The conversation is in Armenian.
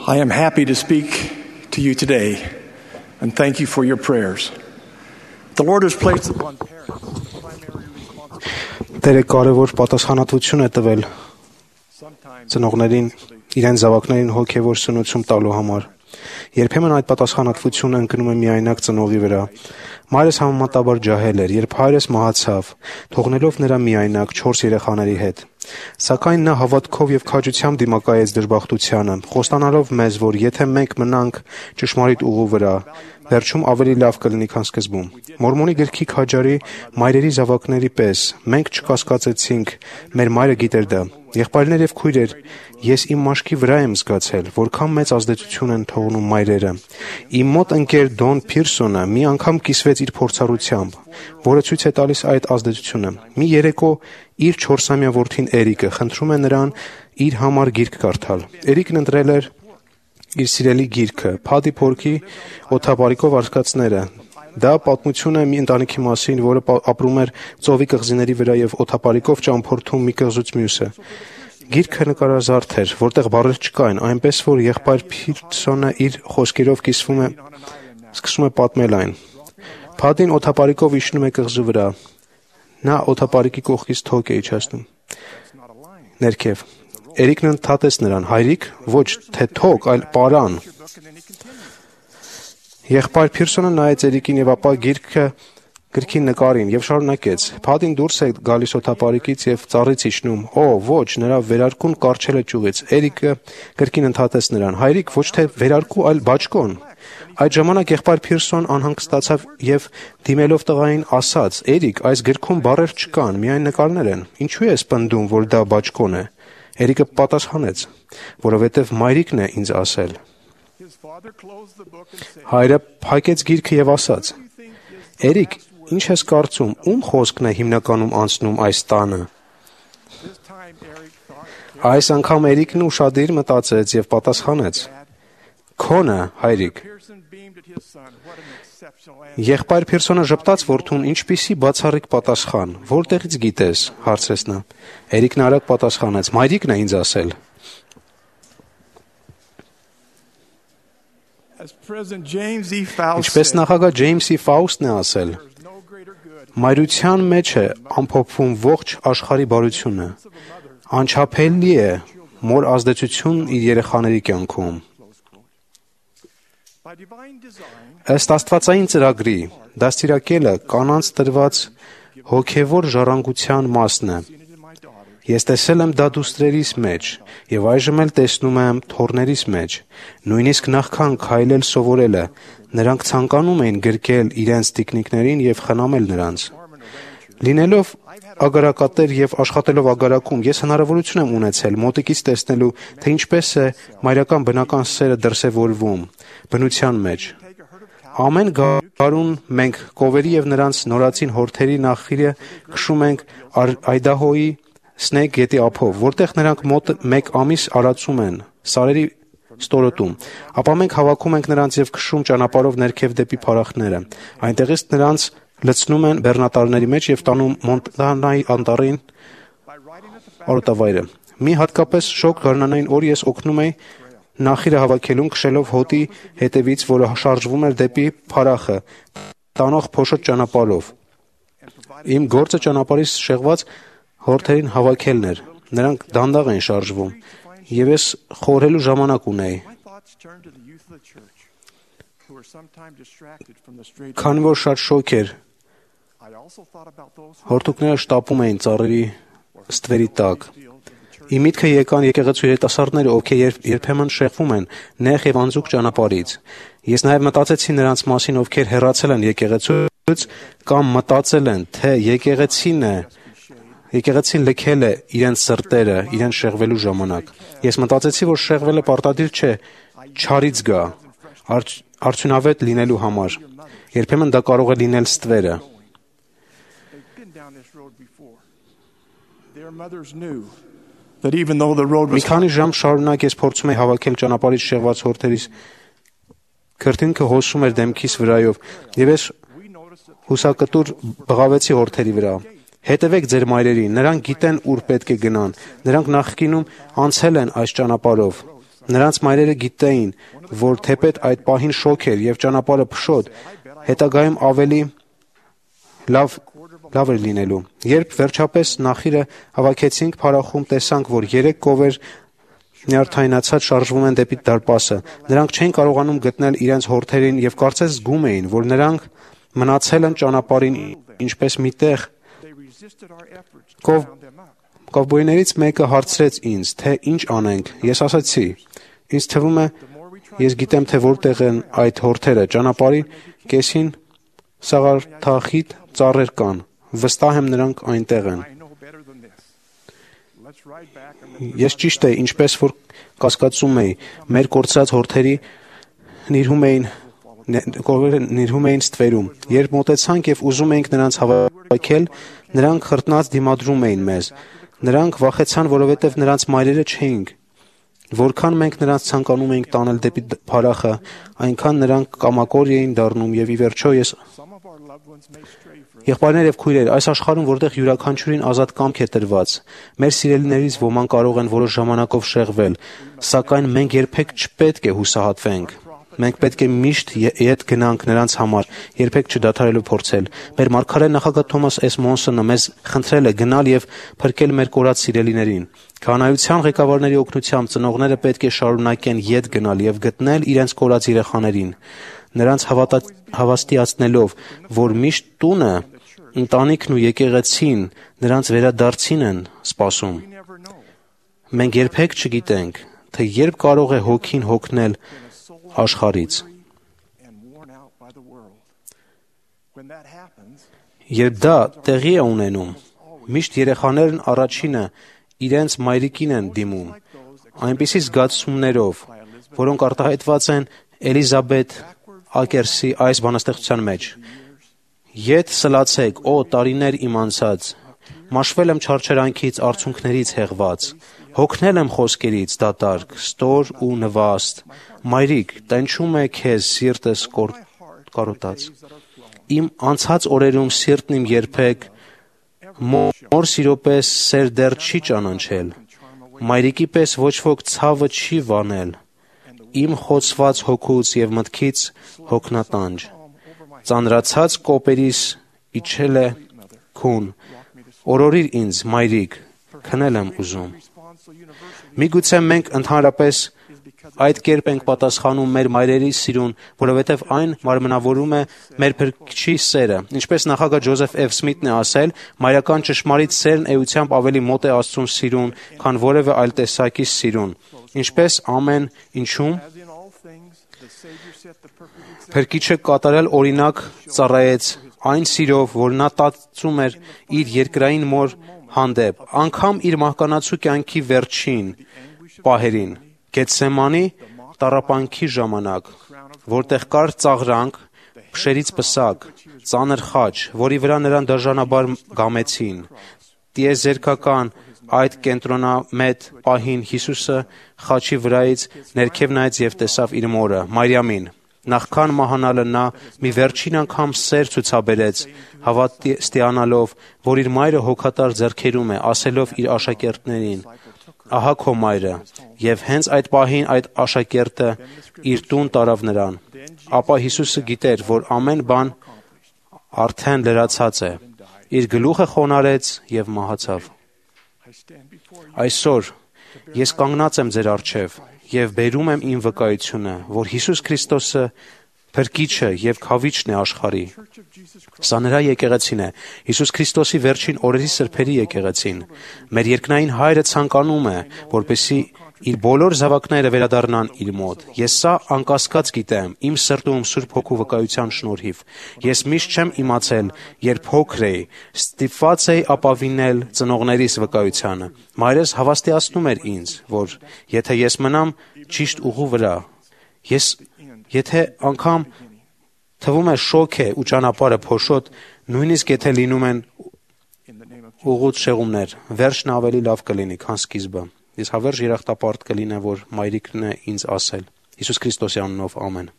I am happy to speak to you today and thank you for your prayers. The Lord has placed upon parents the primary responsibility. Տերը կարևոր պատասխանատվություն է տվել ծնողներին իրենց զավակներին հոգևոր սնուցում տալու համար։ Երբեմն այդ պատասխանատվությունը ընկնում է միայնակ ծնողի վրա։ Մայրս համեմատաբար ջահել էր, երբ հայրս մահացավ, թողնելով նրա միայնակ 4 երեխաների հետ։ Սակայն նա հավատքով եւ քաջությամբ դիմակայեց դժբախտությանը, խոստանալով մեզ, որ եթե մենք մնանք ճշմարիտ ուղու վրա, վերջում ավելի լավ կլինի, քան սկզբում։ Մորմոնի գրքի քաջարի մայրերի զավակների պես մենք չկասկածեցինք, մեր մայրը գիտեր դա։ Եղբայրներ եւ քույրեր, ես իմ մաշկի վրա եմ զգացել, որքան մեծ ազդեցություն են թողնում մայրերը։ Իմ մոտ ընկեր Դոն Փիրսոնը մի անգամ կիսվեց իր փորձառությամբ, որը ցույց է տալիս այդ ազդեցությունը։ Մի երեկո իր 4-ամյա որդին Էրիկը խնդրում է նրան իր համար գիրք կարդալ։ Էրիկն ընտրել էր իր սիրելի գիրքը Փադի Փորքի օթապարիկով արկածները։ Դա պատմություն է մի ընտանիքի մասին, որը ապրում էր ծովի կղզիների վրա եւ օթապարիկով ճամփորդում մի կղզուց մյուսը։ Գիրքը նկարազարդ էր, որտեղ բառեր չկային, այնպես որ եղբայր Փիրսոնը իր խոսքերով սկսում է պատմել այն։ Փադին օթապարիկով իջնում է կղզու վրա։ Նա օթապարիկի կողքից թոք է իջացնում ներքև։ Էրիկն ընդհատեց նրան. հայրիկ, ոչ թե թոք, այլ պարան։ Եղբայր Փիրսոնը նայեց Էրիկին եւ ապա գրքի նկարին եւ շարունակեց. Փադին դուրս է գալիս օթապարիկից եւ ծառից իջնում։ Օ, ոչ, նրա վերարկուն կարճել է ճյուղից։ Էրիկը գրքին ընդհատեց նրան. հայրիկ, ոչ թե վերարկու, այլ բաճկոն։ Այդ ժամանակ եղբայր Փիրսոն անհանգստացավ եւ դիմելով տղային ասաց. Էրիկ, այս գրքում բառեր չկան, միայն նկարներ են։ Ինչու ես պնդում, որ դա բաճկոն է։ Էրիկը պատասխանեց. որովհետեւ մայրիկն է ինձ ասել։ Հայրը փակեց գիրքը եւ ասաց. Էրիկ, ինչ ես կարծում, ում խոսքն է հիմնականում անցնում այս տանը։ Այս անգամ Էրիկն ուշադիր մտածեց եւ պատասխանեց. Քոնը, հայրիկ։ Եղբայր Փիրսոնը ժպտաց որդուն. ինչպիսի բացառիկ պատասխան, որտեղից գիտես, հարցրեց նա։ Էրիկն արագ պատասխանեց. մայրիկն է ինձ ասել։ Ինչպես նախագահ Ջեյմս E. Ֆաուստն է ասել, մայրության մեջ է ամփոփվում ողջ աշխարհի բարությունը։ Անչափելի է մոր ազդեցություն իր երեխաների կյանքում։ Ըստ աստվածային ծրագրի, դաստիարակելը կանանց տրված հոգևոր ժառանգության մասն է։ Ես տեսել եմ դա դուստրերիս մեջ եւ այժմ էլ տեսնում եմ թոռներիս մեջ։ Նույնիսկ նախքան քայլել սովորելը, նրանք ցանկանում էին գրկել իրենց տիկնիկներին եւ խնամել նրանց։ Լինելով ագարակատեր եւ աշխատելով ագարակում, ես հնարավորություն եմ ունեցել մոտիկից տեսնելու, թե ինչպես է մայրական բնական սերը դրսևորվում բնության մեջ։ Ամեն գարուն մենք կովերի եւ նրանց նորածին հորթերի նախիրը քշում ենք Այդահոյի Սնեյք գետի ափով, որտեղ նրանք մոտ 1 ամիս արածում են սարերի ստորոտում։ Ապա մենք հավաքում ենք նրանց եւ քշում ճանապարհով ներքև դեպի փարախները։ Այնտեղից նրանց լցնում են բեռնատարների մեջ եւ տանում Մոնտանայի անտառին արոտավայրը։ Մի հատկապես շոգ գարնանային օր ես օգնում էի նախիրը հավաքելուն քշելով հոտի հետևից, որը շարժվում էր դեպի փարախը, տանող փոշոտ ճանապարհով։ Իմ գործը ճանապարհից շեղված հորթերին հավաքելն էր։ Նրանք դանդաղ են շարժվում, եւ ես խորհելու ժամանակ ունեի։ Քանի որ շատ շոգ էր, հորթուկները շտապում էին ծառերի ստվերի տակ։ Իմ միտքը եկան եկեղեցու երիտասարդները, ովքեր երբեմն շեղվում են նեղ եւ անձուկ ճանապարհից։ Ես նաեւ մտածեցի նրանց մասին, ովքեր հեռացել են եկեղեցուց կամ մտածել են, թե եկեղեցին լքել է իրենց սրտերը, իրենց շեղվելու ժամանակ։ Ես մտածեցի, որ շեղվելը պարտադիր չէ չարից գա, արդյունավետ լինելու համար։ Երբեմն դա կարող է լինել ստվերը։ Մի քանի ժամ շարունակ ես փորձում էի հավաքել ճանապարհից շեղված հորթերիս քրտինքը հոսում էր դեմքիս վրայով, եւ ես հուսակտուր բղավեցի հորթերի վրա։ Հետևեք ձեր մայրերին, նրանք գիտեն ուր պետք է գնան, նրանք նախկինում անցել են այս ճանապարհով, Նրանց մայրերը գիտեին, որ թեպետ այդ պահին շոկ էր եւ ճանապարհը փշոտ, հետագայում ավելի լավ էր լինելու։ Երբ վերջապես նախիրը հավաքեցինք փարախում, տեսանք, որ 3 կովեր նյարդայնացած շարժվում են դեպի դարպասը։ Նրանք չէին կարողանում գտնել իրենց հորթերին եւ կարծես զգում էին, որ նրանք մնացել են ճանապարհին ինչպես մի տեղ։ Կովբոյներից մեկը հարցրեց ինձ, թե ինչ անենք։ Ես ասացի. ինձ թվում է, ես գիտեմ, թե որտեղ են այդ հորթերը։ Ճանապարհի կեսին սաղարթախիտ ծառեր կան։ Վստահ եմ, նրանք այնտեղ են։ Ես ճիշտ է, ինչպես որ կասկածում էի, մեր կորցրած հորթերի նիրհում էին ստվերում։ Երբ մոտեցանք եւ ուզում էինք նրանց հավաքել, նրանք խրտնած դիմադրում էին մեզ։ Նրանք վախեցան, որովհետեւ նրանց մայրերը չէինք։ Որքան մենք նրանց ցանկանում էինք տանել դեպի փարախը, այնքան նրանք կամակոր էին դառնում եւ ի վերջո ես Եղբայրներ եւ քույրեր, այս աշխարհում, որտեղ յուրաքանչյուրին ազատ կամք է տրված, մեր սիրելիներից ոմանք կարող են որոշ ժամանակով շեղվել, սակայն մենք երբեք չպետք է հուսահատվենք։ Մենք պետք է միշտ ետ գնանք նրանց համար, երբեք չդադարելու փորձել։ Մեր մարգարե նախագահ Թոմաս S. Մոնսոնը մեզ խնդրել է գնալ եւ փրկել մեր կորած սիրելիներին։ Քահանայության ղեկավարների օգնությամբ ծնողները պետք է շարունակեն ետ գնալ եւ գտնել իրենց կորած երեխաներին, նրանց հավաստիացնելով, որ միշտ տունը, ընտանիքն ու եկեղեցին նրանց վերադարձին են սպասում։ Մենք երբեք չգիտենք, թե երբ կարող է հոգին հոգնել աշխարհից։ Երբ դա տեղի է ունենում, միշտ երեխաներն առաջինը իրենց մայրիկին են դիմում, այնպիսի զգացումներով, որոնք արտահայտված են Էլիզաբեթ Ակերսի այս բանաստեղծության մեջ։ Ետ սլացեք, օ տարիներ իմ անցած, մաշվել եմ չարչարանքից, արցունքներից հեղված, հոգնել եմ խոսքերից դատարկ, ստոր ու նվաստ, մայրիկ, տենչում է քեզ սիրտս կարոտած։ Իմ անցած օրերում սիրտն իմ երբեք մոր սիրո պես սեր դեռ չի ճանաչել, մայրիկի պես ոչ ոք ցավը չի վանել, իմ խոցված հոգուց եւ մտքից հոգնատանջ, ծանրացած կոպերիս իջել է քուն, օրորիր ինձ, մայրիկ, քնել եմ ուզում։ Միգուցե մենք ընդհանրապես այդ կերպ ենք պատասխանում մեր մայրերի սիրուն, որովհետև այն մարմնավորում է մեր Փրկչի սերը։ Ինչպես նախագահ Ջոզեֆ F. Սմիթն է ասել, մայրական ճշմարիտ սերն էությամբ ավելի մոտ է Աստծուն սիրուն, քան որևէ այլ տեսակի սիրուն։ Ինչպես ամեն ինչում Փրկիչը կատարել օրինակ ծառայեց այն սիրով, որ նա տածում էր իր երկրային մոր հանդեպ, անգամ իր մահկանացու կյանքի վերջին պահերին, Գեթսեմանի տառապանքի ժամանակ, որտեղ կար ծաղրանք, փշերից պսակ, ծանր խաչ, որի վրա նրան դաժանաբար գամեցին։ Տիեզերքական այդ կենտրոնամետ պահին Հիսուսը խաչի վրայից ներքև նայեց եւ տեսավ իր մորը, Մարիամին։ Նախքան մահանալը նա մի վերջին անգամ սեր ցուցաբերեց, հավատացյալով, որ իր մայրը հոգատար ձեռքերում է, ասելով իր աշակերտներին. «Ահա քո մայրը», եւ հենց այդ պահին այդ աշակերտը իր տուն տարավ նրան։ Ապա Հիսուսը գիտեր, որ ամեն բան արդեն լրացած է։ Իր գլուխը խոնարհեց եւ մահացավ։ Այսօր ես կանգնած եմ ձեր առջև եւ բերում եմ իմ վկայությունը, որ Հիսուս Քրիստոսը Փրկիչը եւ Քավիչն է աշխարհի։ Սա նրա եկեղեցին է, Հիսուս Քրիստոսի վերջին օրերի սրբերի եկեղեցին։ Մեր երկնային Հայրը ցանկանում է, որպեսզի իր բոլոր զավակները վերադառնան իր մոտ։ Ես սա անկասկած գիտեմ, իմ սրտում Սուրբ Հոգու վկայության շնորհիվ։ Ես միշտ չեմ իմացել, երբ փոքր էի, ստիպված էի ապավինել ծնողներիս վկայությանը։ Մայրս հավաստիացնում էր ինձ, որ եթե ես մնամ ճիշտ ուղու վրա, եթե անգամ թվում է շոկ է ու ճանապարհը փոշոտ, նույնիսկ եթե լինում են ուղուց շեղումներ, վերջն ավելի լավ կլինի, քան սկիզբը։ Ես հավերժ երախտապարտ կլինեմ, որ մայրիկն է ինձ ասել։ Հիսուս Քրիստոսի անունով ամեն։